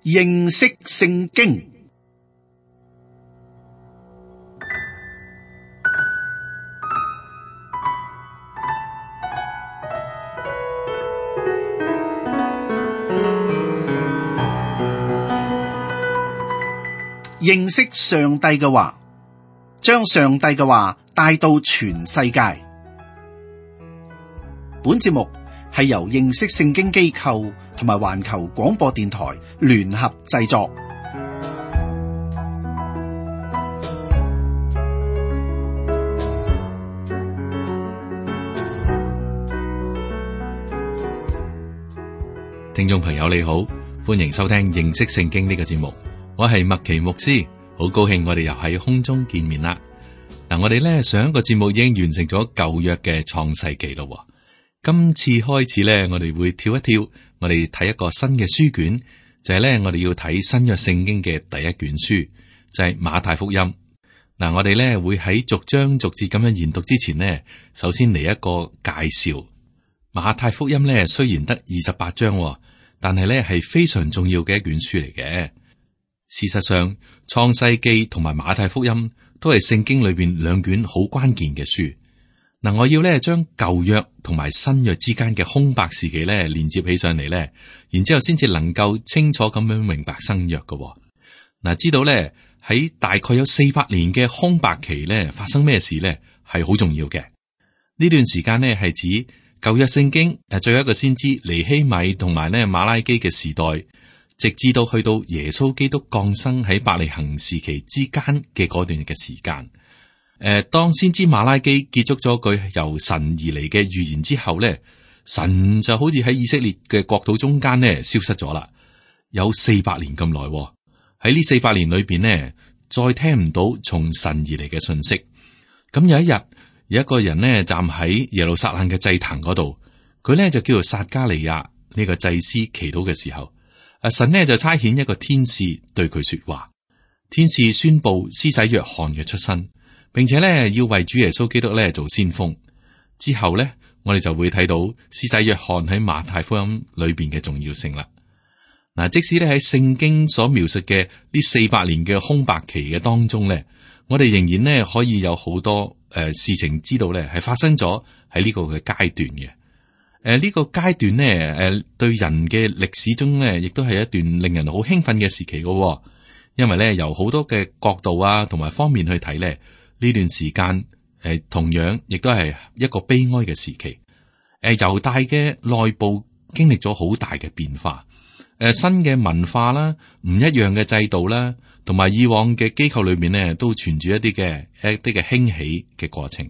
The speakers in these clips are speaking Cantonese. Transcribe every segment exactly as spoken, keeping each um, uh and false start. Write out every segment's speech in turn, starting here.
認識聖經。認識上帝嘅話，將上帝嘅話帶到全世界。本節目係由認識聖經機構同埋環球廣播電台聯合製作。聽眾朋友你好，歡迎收聽認識聖經呢個節目。我係麥奇牧師，好高興我哋又喺空中見面啦。嗱，我哋咧上一個節目已經完成咗舊約嘅創世記咯。今次開始咧，我哋會跳一跳，我哋睇一個新嘅書卷，就係咧我哋要睇新約聖經嘅第一卷書，就係馬太福音。嗱，我哋咧會喺逐章逐節咁樣研讀之前呢，首先嚟一個介紹。馬太福音咧雖然得二十八章，但係咧係非常重要嘅一卷書嚟嘅。事實上，創世記同埋馬太福音都係聖經裏邊兩卷好關鍵嘅書。嗱，我要咧將舊約同埋新約之間嘅空白時期咧連接起上嚟咧，然之後先至能夠清楚咁樣明白新約嘅。嗱，知道咧喺大概有四百年嘅空白期咧發生咩事咧係好重要嘅。呢段時間呢係指舊約聖經誒最後一個先知尼希米同埋咧馬拉基嘅時代。直至到去到耶穌基督降生喺伯利恆時期之間嘅嗰段嘅時間，誒、呃，當先知馬拉基結束咗句由神而嚟嘅預言之後咧，神就好似喺以色列嘅國土中間咧消失咗啦，有四百年咁耐。喺呢四百年裏邊呢，再聽唔到從神而嚟嘅信息。咁有一日，有一個人呢站喺耶路撒冷嘅祭壇嗰度，佢咧就叫做撒迦利亞呢個祭司祈禱嘅時候。啊！神呢就差遣一個天使對佢說話，天使宣布施洗約翰嘅出生，並且咧要為主耶穌基督咧做先鋒。之後咧，我哋就會睇到施洗約翰喺馬太福音裏邊嘅重要性啦。嗱，即使咧喺聖經所描述嘅呢四百年嘅空白期嘅當中咧，我哋仍然呢可以有好多誒、呃、事情知道咧係發生咗喺呢個嘅階段嘅。誒，呢、呃這個階段呢，誒、呃，對人嘅歷史中呢，亦都係一段令人好興奮嘅時期嘅、哦。因為咧，由好多嘅角度啊，同埋方面去睇咧，呢段時間誒、呃，同樣亦都係一個悲哀嘅時期。誒、呃，猶大嘅內部經歷咗好大嘅變化。誒、呃，新嘅文化啦，唔一樣嘅制度啦，同埋以往嘅機構裏面呢，都存住一啲嘅一啲嘅興起嘅過程。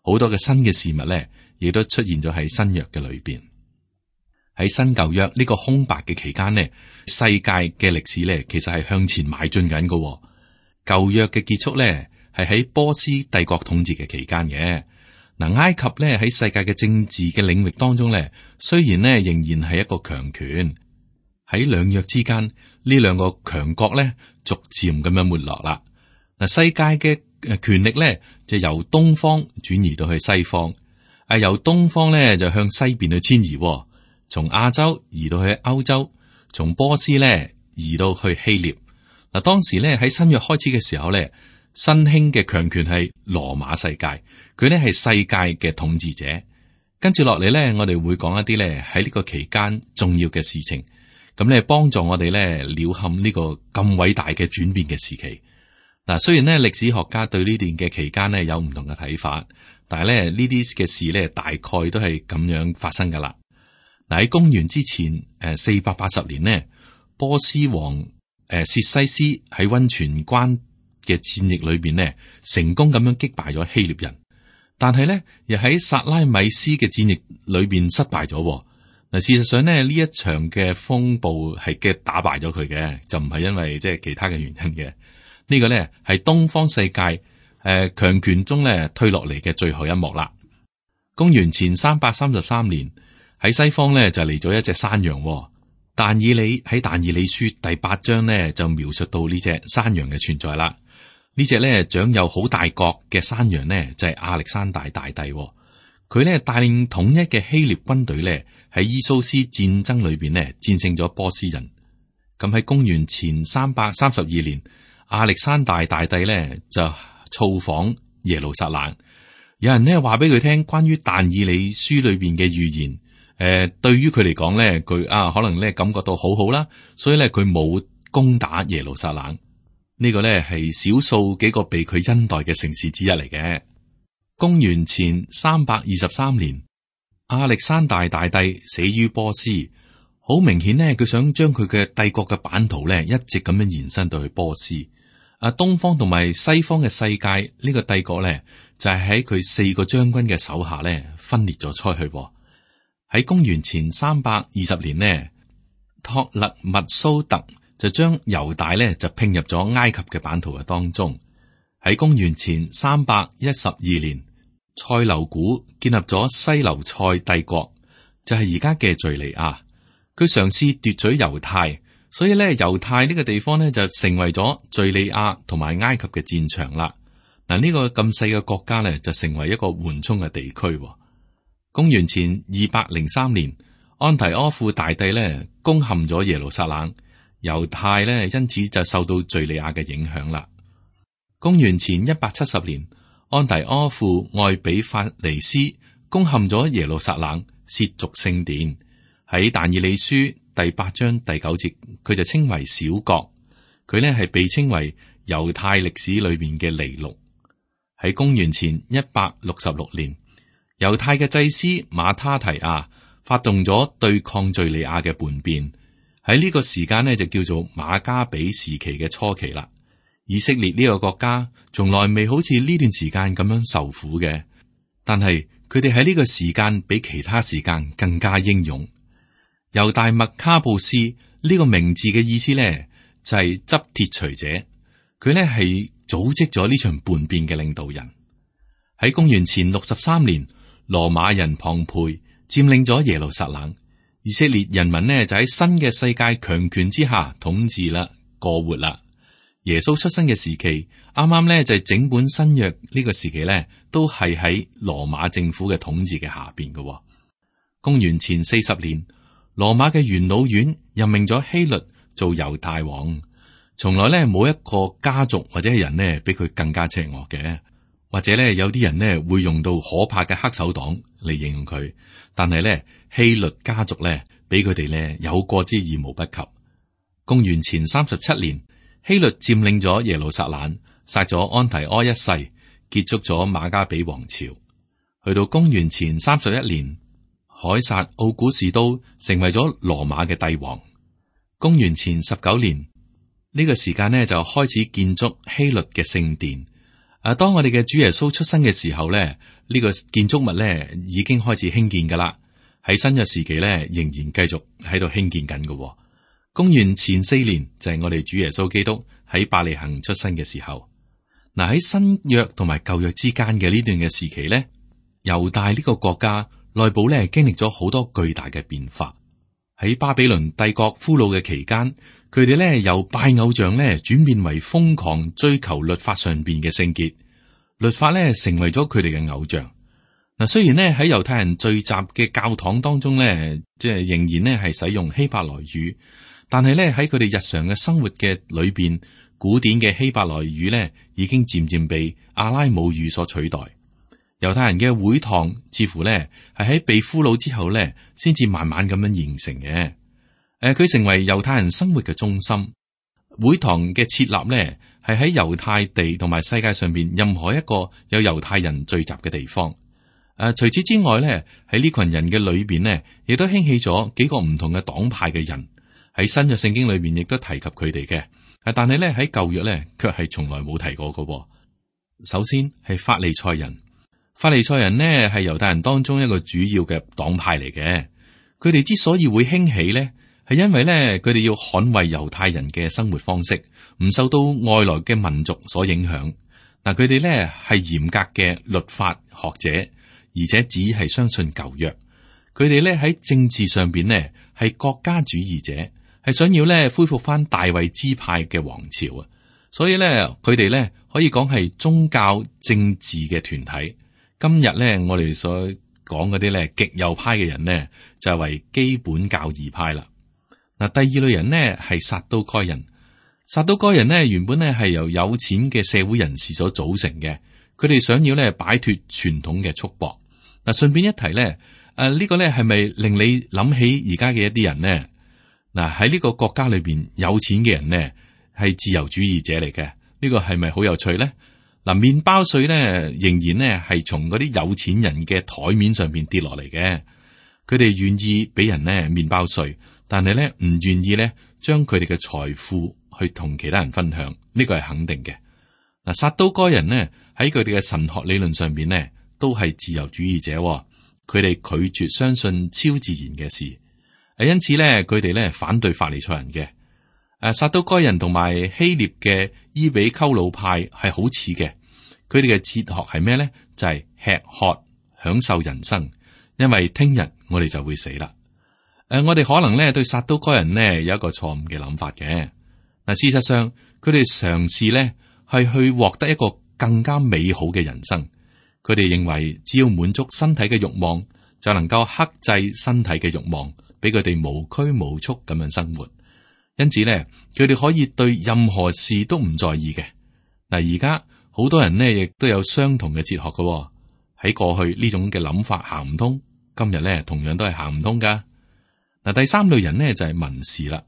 好多嘅新嘅事物咧。亦都出現咗喺新約嘅裏邊，喺新舊約呢個空白嘅期間呢，世界嘅歷史咧，其實係向前邁進緊嘅。舊約嘅結束咧，係喺波斯帝國統治嘅期間嘅。嗱，埃及咧喺世界嘅政治嘅領域當中咧，雖然呢仍然係一個強權，喺兩約之間呢兩個強國咧，逐漸咁樣沒落啦。嗱，世界嘅誒權力咧，就由東方轉移到去西方。係由東方咧就向西邊去遷移，從亞洲移到去歐洲，從波斯咧移到去希臘。嗱，當時咧喺新約開始嘅時候咧，新興嘅強權係羅馬世界，佢咧係世界嘅統治者。跟住落嚟咧，我哋會講一啲咧喺呢個期間重要嘅事情，咁咧幫助我哋咧了勘呢個咁偉大嘅轉變嘅時期。嗱，雖然咧歷史學家對呢段嘅期間咧有唔同嘅睇法。但係咧呢啲嘅事咧，大概都係咁樣發生噶啦。嗱，喺公元之前誒四百八十年呢，波斯王誒薛西斯喺溫泉關嘅戰役裏邊呢，成功咁樣擊敗咗希臘人。但係咧，又喺薩拉米斯嘅戰役裏邊失敗咗。嗱，事實上呢，呢一場嘅風暴係嘅打敗咗佢嘅，就唔係因為即係其他嘅原因嘅。呢、這個咧係東方世界。誒，強、呃、權中咧推落嚟嘅最後一幕啦。公元前三百三十三年，喺西方咧就嚟咗一隻山羊、哦。但以理喺但以理書第八章咧就描述到呢隻山羊嘅存在啦。呢隻咧長有好大角嘅山羊呢，就係、是、亞歷山大大帝、哦。佢咧帶領統一嘅希臘軍隊咧喺伊蘇斯戰爭裏邊咧戰勝咗波斯人。咁喺公元前三百三十二年，亞歷山大大帝咧就造訪耶路撒冷。有人呢話俾佢聽關於但以理書裏邊嘅預言，誒、呃，對於佢嚟講咧，佢啊可能咧感覺到好好啦，所以咧佢冇攻打耶路撒冷。呢個咧係少數幾個被佢恩待嘅城市之一嚟嘅。公元前三百二十三年，亞歷山大大帝死於波斯。好明顯呢，佢想將佢嘅帝國嘅版圖咧，一直咁樣延伸到去波斯。啊，東方同埋西方嘅世界呢個帝國咧，就係喺佢四個將軍嘅手下咧分裂咗出去。喺公元前三百二十年呢，托勒密蘇特就將猶大咧就拼入咗埃及嘅版圖嘅當中。喺公元前三百一十二年，塞琉古建立咗西流塞帝國，就係而家嘅敘利亞。佢嘗試奪取猶太，所以咧猶太呢個地方咧就成為咗敘利亞同埋埃及嘅戰場啦。嗱，呢個咁細嘅國家咧就成為一個緩衝嘅地區。公元前二百零三年，安提阿富大帝咧攻陷咗耶路撒冷，猶太咧因此就受到敘利亞嘅影響啦。公元前一百七十年，安提阿富愛比法尼斯攻陷咗耶路撒冷，褻瀆聖殿。喺但以理書第八章第九節，佢就稱為小國。佢呢係被稱為猶太歷史裏面嘅尼祿。喺公元前一百六十六年，猶太嘅祭司馬他提亞發動咗對抗敘利亞嘅叛變。喺呢個時間呢，就叫做馬加比時期嘅初期啦。以色列呢個國家從來未好似呢段時間咁樣受苦嘅，但係佢哋喺呢個時間比其他時間更加英勇。猶大麥卡布斯呢個名字嘅意思咧，就係執鐵錘者。佢咧係組織咗呢場叛變嘅領導人。喺公元前六十三年，羅馬人龐培佔領咗耶路撒冷，以色列人民呢就喺新嘅世界強權之下統治啦，過活啦。耶穌出生嘅時期，啱啱咧就係整本新約呢個時期咧，都係喺羅馬政府嘅統治嘅下邊嘅。公元前四十年，羅馬嘅元老院任命咗希律做猶太王。從來咧冇一個家族或者係人呢比佢更加邪惡嘅，或者咧有啲人呢會用到可怕嘅黑手黨嚟形容佢，但係咧希律家族咧比佢哋咧有過之而無不及。公元前三十七年，希律佔領咗耶路撒冷，殺咗安提阿一世，結束咗馬加比王朝。去到公元前三十一年，凱撒奧古士都成為咗羅馬嘅帝王。公元前十九年，呢個時間呢就開始建築希律嘅聖殿。啊，當我哋嘅主耶穌出生嘅時候咧，呢個建築物咧已經開始興建噶啦。喺新約時期咧，仍然繼續喺度興建緊嘅。公元前四年就係我哋主耶穌基督喺伯利恆出生嘅時候。嗱，喺新約同埋舊約之間嘅呢段嘅時期咧，猶大呢個國家內部咧經歷咗好多巨大嘅變化。喺巴比倫帝國俘虜嘅期間，佢哋咧由拜偶像咧轉變為瘋狂追求律法上邊嘅聖潔，律法咧成為咗佢哋嘅偶像。嗱，雖然咧喺猶太人聚集嘅教堂當中咧，即係仍然咧係使用希伯來語，但係咧喺佢哋日常嘅生活嘅裏邊，古典嘅希伯來語咧已經漸漸被阿拉姆語所取代。猶太人嘅會堂似乎咧係喺被俘虜之後咧，先至慢慢咁樣形成嘅。誒、呃，佢成為猶太人生活嘅中心。會堂嘅設立咧係喺猶太地同埋世界上邊任何一個有猶太人聚集嘅地方。誒、呃，除此之外咧，喺呢群人嘅裏邊咧，亦都興起咗幾個唔同嘅黨派嘅人。喺新約聖經裏邊亦都提及佢哋嘅。誒，但係咧喺舊約咧，卻係從來冇提過嘅。首先係法利賽人。法利賽人呢係猶太人當中一個主要嘅黨派嚟嘅，佢哋之所以會興起呢，係因為呢佢哋要捍衛猶太人嘅生活方式，唔受到外來嘅民族所影響。嗱，佢哋呢係嚴格嘅律法學者，而且只係相信舊約。佢哋呢喺政治上邊呢係國家主義者，係想要呢恢復翻大衛支派嘅王朝啊。所以呢，佢哋呢可以講係宗教政治嘅團體。今日咧，我哋所講嗰啲咧極右派嘅人呢，就係為基本教義派啦。嗱，第二類人呢係撒都該人。撒都該人呢原本呢係由有錢嘅社會人士所組成嘅，佢哋想要呢擺脫傳統嘅束縛。嗱，順便一提呢，誒、啊、呢、這個呢係咪令你諗起而家嘅一啲人呢？嗱，喺呢個國家裏邊有錢嘅人呢係自由主義者嚟嘅，呢、這個係咪好有趣呢？嗱，麵包稅呢仍然呢係從嗰啲有錢人嘅台面上邊跌落嚟嘅，佢哋願意俾人呢麵包稅，但係咧唔願意咧將佢哋嘅財富去同其他人分享，呢個係肯定嘅。嗱，撒都該人呢喺佢哋嘅神學理論上邊呢都係自由主義者，佢哋拒絕相信超自然嘅事，誒，因此咧佢哋咧反對法利賽人嘅。誒，撒都該人同埋希臘嘅伊比鳩魯派係好似嘅，佢哋嘅哲學係咩咧？就係、是、吃喝享受人生，因為聽日我哋就會死啦。誒、呃，我哋可能咧對撒都該人呢有一個錯誤嘅諗法嘅。嗱，事實上佢哋嘗試咧係去獲得一個更加美好嘅人生。佢哋認為只要滿足身體嘅慾望，就能夠克制身體嘅慾望，俾佢哋無拘無束咁樣生活。因此咧，佢哋可以對任何事都唔在意嘅。嗱，而家好多人呢亦都有相同嘅哲學嘅。喺過去呢種嘅諗法行唔通，今日咧同樣都係行唔通噶。嗱，第三類人呢就係文士啦。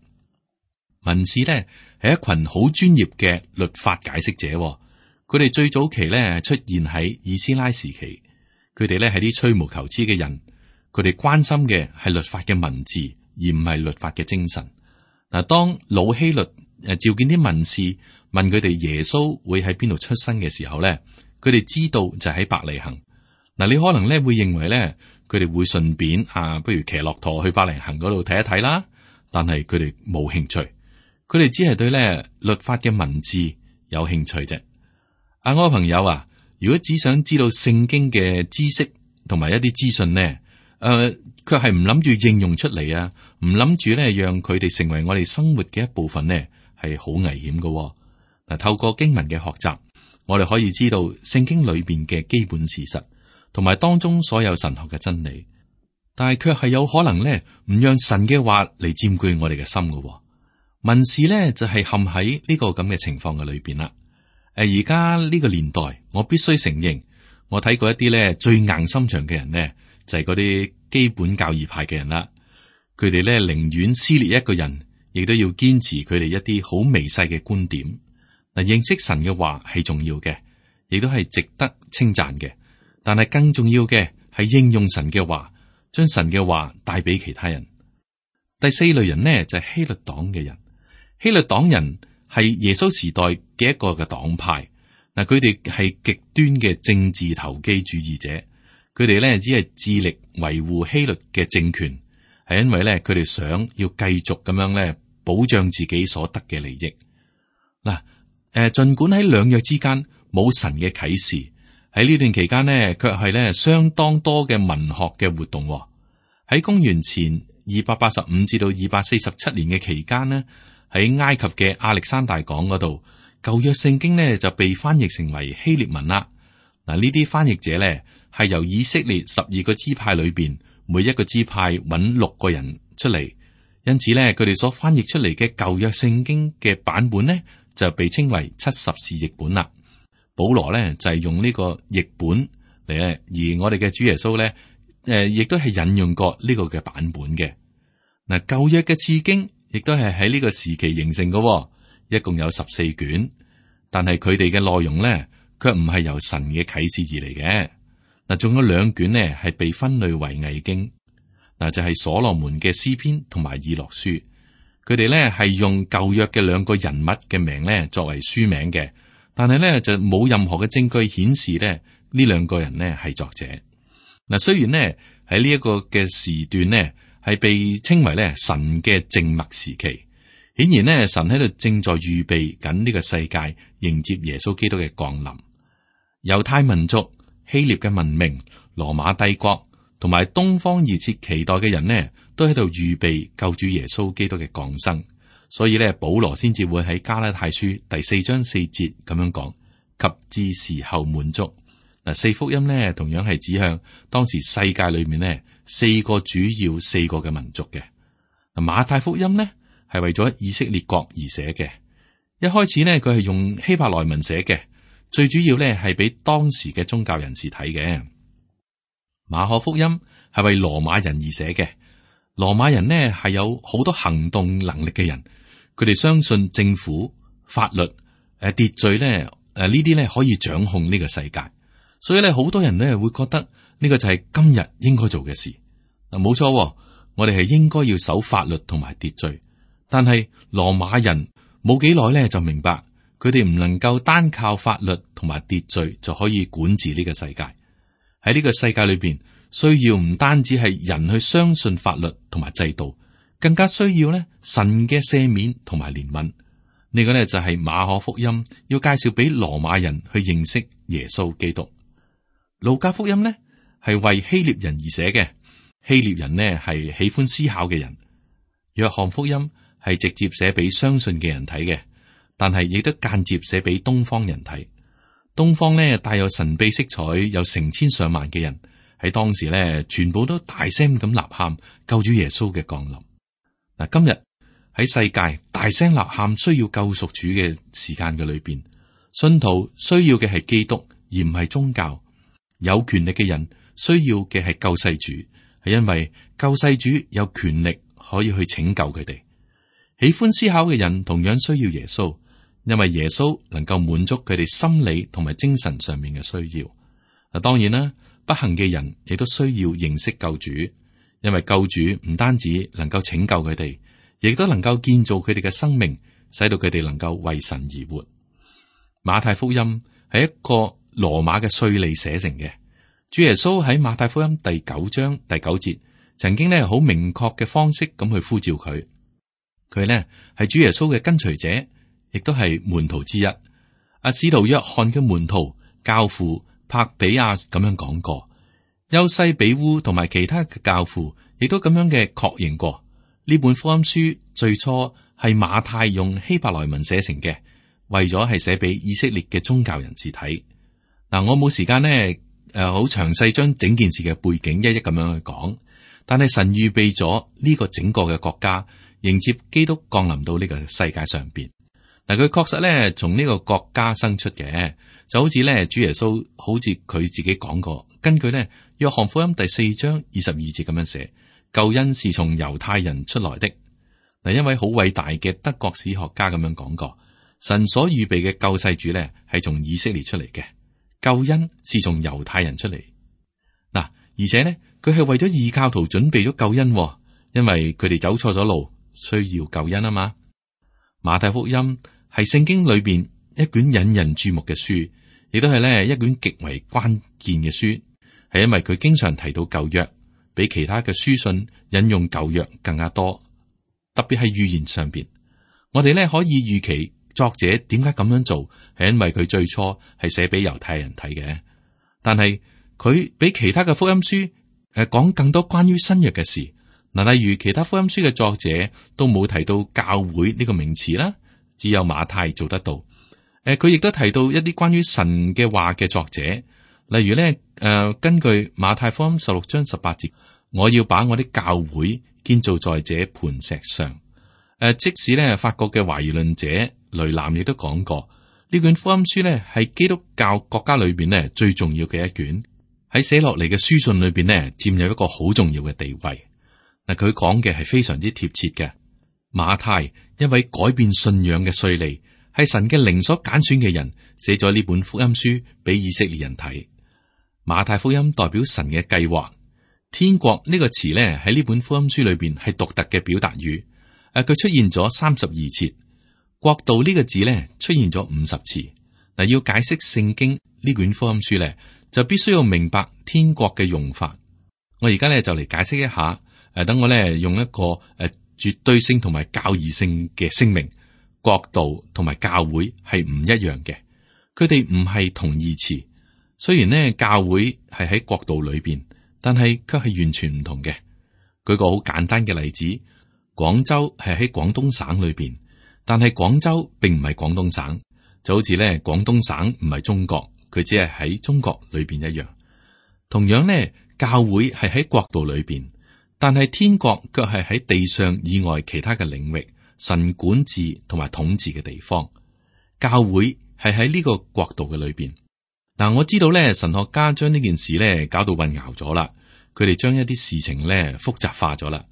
文士咧係一群好專業嘅律法解釋者，佢哋最早期咧出現喺以斯拉時期，佢哋咧係啲吹毛求疵嘅人，佢哋關心嘅係律法嘅文字，而唔係律法嘅精神。嗱，當老希律誒召見啲文士，問佢哋耶穌會喺邊度出生嘅時候咧，佢哋知道就喺伯利恆。嗱，你可能咧會認為咧，佢哋會順便啊，不如騎駱駝去伯利恆嗰度睇一睇啦。但係佢哋冇興趣，佢哋只係對咧律法嘅文字有興趣啫。啊，我朋友啊，如果只想知道聖經嘅知識同埋一啲資訊呢，誒、呃，卻係唔諗住應用出嚟啊，唔諗住咧讓佢哋成為我哋生活嘅一部分呢，係好危險噶。嗱，透過經文嘅學習，我哋可以知道聖經裏邊嘅基本事實，同埋當中所有神學嘅真理，但係卻係有可能咧唔讓神嘅話嚟佔據我哋嘅心噶。文士咧就係陷喺呢個咁嘅情況嘅裏邊啦。誒，而家呢個年代，我必須承認，我睇過一啲咧最硬心腸嘅人呢，就係嗰啲基本教義派嘅人啦。佢哋咧寧願撕裂一個人，亦都要堅持佢哋一啲好微細嘅觀點。嗱，認識神嘅話係重要嘅，亦都係值得稱讚嘅。但係更重要嘅係應用神嘅話，將神嘅話帶俾其他人。第四類人呢，就係希律黨嘅人。希律黨人係耶穌時代嘅一個嘅黨派。嗱，佢哋係極端嘅政治投機主義者。佢哋咧只係致力維護希律嘅政權，係因為咧佢哋想要繼續咁樣咧保障自己所得嘅利益。嗱，誒，盡管喺兩約之間冇神嘅啟示，喺呢段期間呢，卻係咧相當多嘅文學嘅活動。喺公元前二百八十五至到二百四十七年嘅期間呢，喺埃及嘅亞歷山大港嗰度，舊約聖經呢就被翻譯成為希臘文啦。嗱，呢啲翻譯者咧係由以色列十二個支派裏邊每一個支派揾六個人出嚟，因此咧佢哋所翻譯出嚟嘅舊約聖經嘅版本呢，就被稱為七十士譯本啦。保羅咧就係、是、用呢個譯本嚟咧，而我哋嘅主耶穌咧誒亦都係引用過呢個嘅版本嘅。嗱，舊約嘅次經亦都係喺呢個時期形成嘅，一共有十四卷，但係佢哋嘅內容咧卻唔係由神嘅啟示而嚟嘅。嗱，仲有兩卷呢係被分類為偽經，嗱就係、是、所羅門嘅詩篇同埋以諾書，佢哋咧係用舊約嘅兩個人物嘅名咧作為書名嘅，但係咧就冇任何嘅證據顯示咧呢兩個人呢係作者。嗱，雖然呢喺呢一個嘅時段呢係被稱為咧神嘅靜默時期，顯然呢神喺度正在預備緊呢個世界迎接耶穌基督嘅降臨。猶太民族、希臘嘅文明、羅馬帝國同埋東方熱切期待嘅人呢，都喺度預備救主耶穌基督嘅降生。所以咧，保羅先至會喺加拉太書第四章四節咁樣講，及至時候滿足。嗱，四福音呢同樣係指向當時世界裏面呢四個主要四個嘅民族嘅。嗱，馬太福音呢係為咗以色列國而寫嘅。一開始呢，佢係用希伯來文寫嘅，最主要呢係俾當時嘅宗教人士睇嘅。馬可福音係為羅馬人而寫嘅，羅馬人呢係有好多行動能力嘅人，佢哋相信政府、法律、誒秩序呢，誒呢啲呢可以掌控呢個世界，所以咧好多人呢會覺得呢個就係今日應該做嘅事。嗱，冇錯，我哋係應該要守法律同埋秩序，但係羅馬人冇幾耐咧就明白，佢哋唔能夠單靠法律同埋秩序就可以管治呢個世界。喺呢個世界裏邊，需要唔單止係人去相信法律同埋制度，更加需要咧神嘅赦免同埋憐憫。呢個呢就係馬可福音要介紹俾羅馬人去認識耶穌基督。路加福音呢係為希臘人而寫嘅，希臘人呢係喜歡思考嘅人。約翰福音係直接寫俾相信嘅人睇嘅，但係亦都間接寫俾東方人睇。東方呢帶有神秘色彩，有成千上萬嘅人喺當時呢全部都大聲咁吶喊救主耶穌嘅降臨。嗱，今日喺世界大聲吶喊需要救贖主嘅時間嘅裏邊，信徒需要嘅係基督，而唔係宗教。有權力嘅人需要嘅係救世主，係因為救世主有權力可以去拯救佢哋。喜歡思考嘅人同樣需要耶穌，因為耶穌能夠滿足佢哋心理同埋精神上面嘅需要。嗱，當然啦，不幸嘅人亦都需要認識救主，因為救主唔單止能夠拯救佢哋，亦都能夠建造佢哋嘅生命，使到佢哋能夠為神而活。馬太福音係一個羅馬嘅稅吏寫成嘅。主耶穌喺馬太福音第九章第九節，曾經呢好明確嘅方式咁去呼召佢。佢呢係主耶穌嘅跟隨者，亦都係門徒之一。阿使徒約翰嘅門徒教父帕比亞咁樣講過，優西比烏同埋其他嘅教父亦都咁樣嘅確認過。呢本福音書最初係馬太用希伯來文寫成嘅，為咗係寫俾以色列嘅宗教人士睇。嗱，我冇時間呢，誒，好詳細將整件事嘅背景一一咁樣去講。但係神預備咗呢個整個嘅國家，迎接基督降臨到呢個世界上邊。嗱，佢確實咧從呢個國家生出嘅，就好似咧主耶穌好似佢自己講過。根據咧約翰福音第四章二十二節咁樣寫，救恩是從猶太人出來的。嗱，一位好偉大嘅德國史學家咁樣講過，神所預備嘅救世主咧係從以色列出嚟嘅。救恩是從猶太人出嚟，嗱，而且呢，佢係為咗異教徒準備咗救恩，因為佢哋走錯咗路，需要救恩啊嘛。馬太福音係聖經裏邊一卷引人注目嘅書，亦都係咧一卷極為關鍵嘅書，係因為佢經常提到舊約，比其他嘅書信引用舊約更加多，特別係預言上邊，我哋咧可以預期。作者點解咁樣做？係因為佢最初係寫俾猶太人睇嘅，但係佢比其他嘅福音書誒講更多關於新約嘅事。嗱，例如其他福音書嘅作者都冇提到教會呢個名詞啦，只有馬太做得到。誒，佢亦都提到一啲關於神嘅話嘅作者，例如咧誒、呃，根據馬太福音十六章十八節，我要把我啲教會建造在這磐石上。誒，即使咧法國嘅懷疑論者雷南亦都講過，呢卷福音書咧係基督教國家裏邊咧最重要嘅一卷，喺寫落嚟嘅書信裏邊咧佔有一個好重要嘅地位。嗱，佢講嘅係非常之貼切嘅。馬太一位改變信仰嘅稅吏，係神嘅靈所揀選嘅人，寫咗呢本福音書俾以色列人睇。馬太福音代表神嘅計劃，天國呢個詞咧喺呢本福音書裏邊係獨特嘅表達語。誒，佢出現咗三十二次，國度呢個字咧出現咗五十次。嗱，要解釋聖經呢卷福音書咧，就必須要明白天國嘅用法。我而家咧就嚟解釋一下。誒，等我咧用一個誒絕對性同埋教義性嘅聲明，國度同埋教會係唔一樣嘅，佢哋唔係同義詞。雖然呢教會係喺國度裏邊，但係卻係完全唔同嘅。舉個好簡單嘅例子。廣州係喺廣東省裏邊，但係廣州並唔係廣東省，就好似咧廣東省唔係中國，佢只係喺中國裏邊一樣。同樣咧，教會係喺國度裏邊，但係天國卻係喺地上以外其他嘅領域，神管治同埋統治嘅地方。教會係喺呢個國度嘅裏邊。嗱，我知道咧，神學家將呢件事咧搞到混淆咗啦，佢哋將一啲事情咧複雜化咗啦。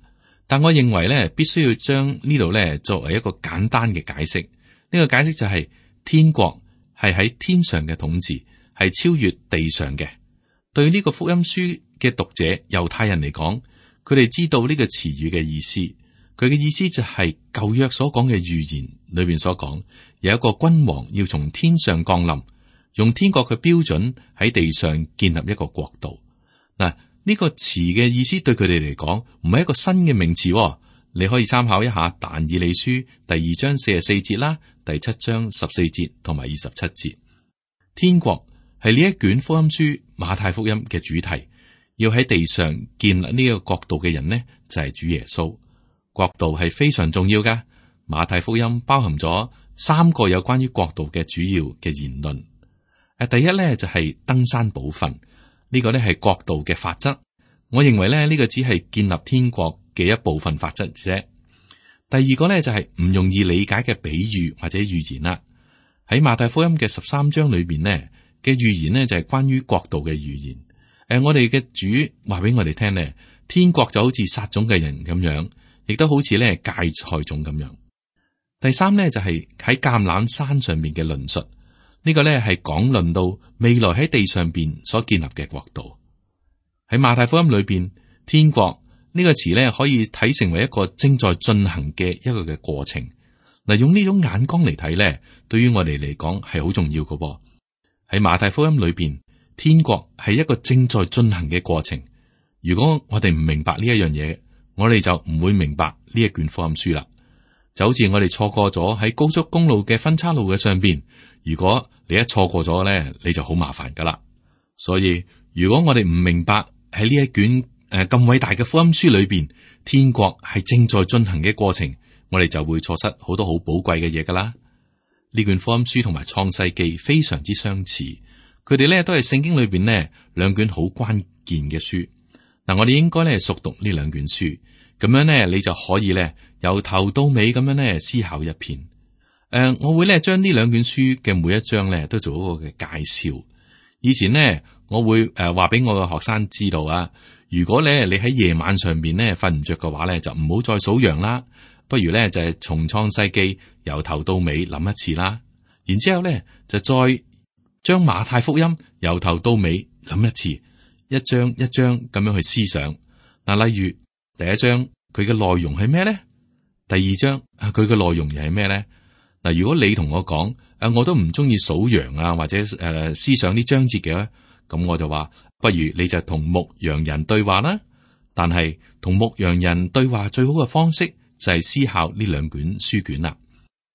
但我認為咧，必須要將呢度咧作為一個簡單嘅解釋。呢個解釋就係天國係喺天上嘅統治，係超越地上嘅。對呢個福音書嘅讀者猶太人嚟講，佢哋知道呢個詞語嘅意思。佢嘅意思就係舊約所講嘅預言裏邊所講，有一個君王要從天上降臨，用天國嘅標準喺地上建立一個國度。嗱，呢個詞嘅意思對佢哋嚟講唔係一個新嘅名詞。你可以參考一下但以理書第二章四十四節啦，第七章十四節同埋二十七節。天國係呢一卷福音書馬太福音嘅主題，要喺地上建立呢個國度嘅人呢，就係主耶穌。國度係非常重要噶。馬太福音包含咗三個有關於國度嘅主要嘅言論。誒，第一咧就係登山寶訓，呢個咧係國度嘅法則。我認為咧呢個只係建立天國嘅一部分法則啫。第二個咧就係唔容易理解嘅比喻或者預言啦。喺馬太福音嘅十三章裏邊呢嘅預言呢，就係關於國度嘅預言。誒，我哋嘅主話俾我哋聽呢，天國就好似撒種嘅人咁樣。亦都好似咧芥菜種咁樣。第三咧就係喺橄欖山上面嘅論述，呢個咧係講論到未來喺地上邊所建立嘅國度。喺馬太福音裏邊，天國呢個詞咧可以睇成為一個正在進行嘅一個嘅過程。嗱，用呢種眼光嚟睇咧，對於我哋嚟講係好重要嘅噃。喺馬太福音裏邊，天國係一個正在進行嘅過程。如果我哋唔明白呢一樣嘢，我哋就唔會明白呢一卷福音書啦。就好似我哋錯過咗喺高速公路嘅分岔路嘅上邊，如果你一錯過咗咧，你就好麻煩噶啦。所以如果我哋唔明白喺呢一卷誒咁偉大嘅福音書裏邊，天國係正在進行嘅過程，我哋就會錯失好多好寶貴嘅嘢噶啦。呢卷福音書同埋創世記非常之相似，佢哋咧都係聖經裏邊呢兩卷好關鍵嘅書。嗱，我哋應該咧熟讀呢兩卷書。咁樣咧，你就可以咧由頭到尾咁樣咧思考一遍。誒、呃，我會咧將呢兩卷書嘅每一章咧都做一個嘅介紹。以前呢，我會誒話俾我嘅學生知道啊，如果咧你喺夜晚上邊咧瞓唔着嘅話咧，就唔好再數羊啦，不如咧就係從創世記由頭到尾諗一次啦。然之後咧就再將馬太福音由頭到尾諗一次，一章一章咁樣去思想。嗱，例如。第一章佢嘅內容係咩咧？第二章啊，佢嘅內容又係咩咧？嗱，如果你同我講，誒，我都唔中意數羊啊，或者誒、呃、思想啲章節嘅，咁我就話，不如你就同牧羊人對話啦。但係同牧羊人對話最好嘅方式就係思考呢兩卷書卷啦。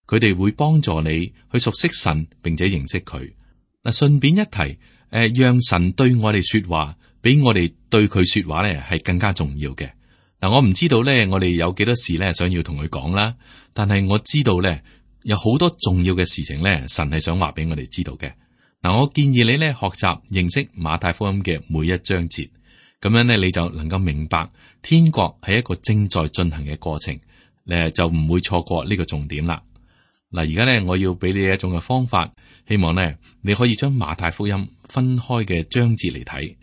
佢哋會幫助你去熟悉神，並且認識佢。嗱，順便一提，誒、呃，讓神對我哋說話，比我哋對佢說話咧係更加重要嘅。嗱，我唔知道咧，我哋有幾多事咧想要同佢講啦。但係我知道咧，有好多重要嘅事情咧，神係想話俾我哋知道嘅。嗱，我建議你咧學習認識馬太福音嘅每一章節，咁樣咧你就能夠明白天國係一個正在進行嘅過程，誒就唔會錯過呢個重點啦。嗱，而家咧我要俾你一種嘅方法，希望咧你可以將馬太福音分開嘅章節嚟睇。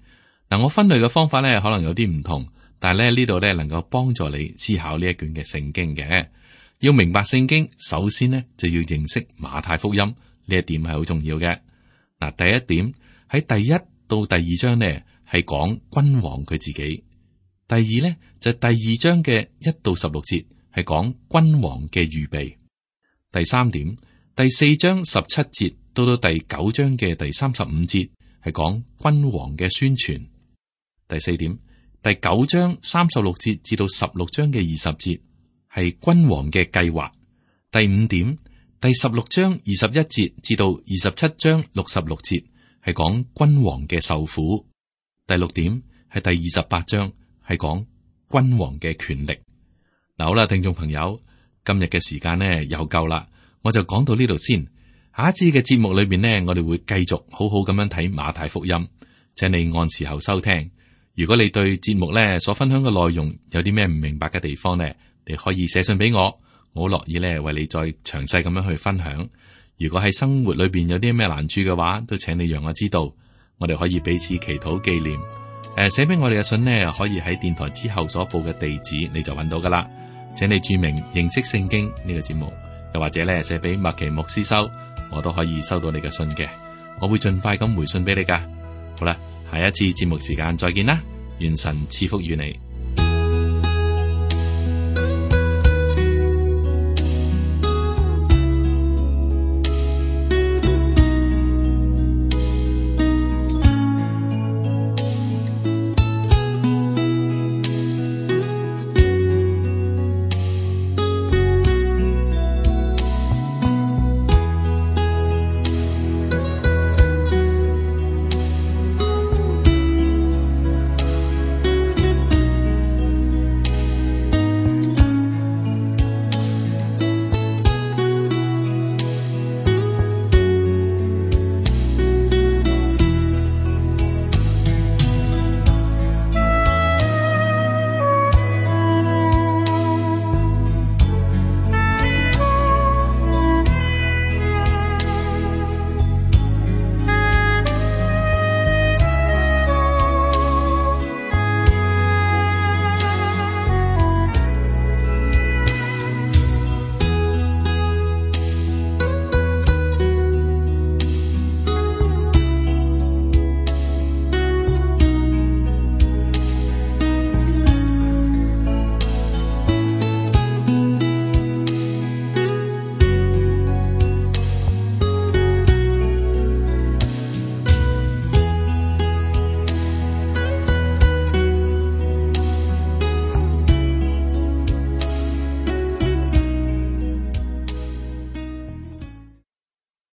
嗱，我分類嘅方法咧可能有啲唔同。但係咧呢度咧能夠幫助你思考呢一卷嘅聖經嘅。要明白聖經，首先呢就要認識馬太福音，呢一點係好重要嘅。嗱，第一點喺第一到第二章呢係講君王佢自己，第二呢就第二章嘅一到十六節係講君王嘅預備，第三點第四章十七節到到第九章嘅第三十五節係講君王嘅宣傳，第四點。第九章三十六節至到十六章嘅二十節係君王嘅計劃。第五點，第十六章二十一節至到二十七章六十六節係講君王嘅受苦。第六點係第二十八章係講君王嘅權力。嗱，好啦，聽眾朋友，今日嘅時間呢又夠啦，我就講到呢度先。下一次嘅節目裏面呢，我哋會繼續好好咁樣睇馬太福音，請你按時候收聽。如果你對節目咧所分享嘅內容有啲咩唔明白嘅地方呢，你可以寫信俾我，我好樂意咧為你再詳細咁樣去分享。如果喺生活裏邊有啲咩難處嘅話，都請你讓我知道，我哋可以彼此祈禱紀念。誒、呃，寫俾我哋嘅信呢，可以喺電台之後所報嘅地址，你就揾到噶啦。請你注明認識聖經呢個節目，又或者咧寫俾麥奇牧師收，我都可以收到你嘅信嘅。我會盡快咁回信俾你噶。好啦，下一次節目時間再見啦，願神賜福與你。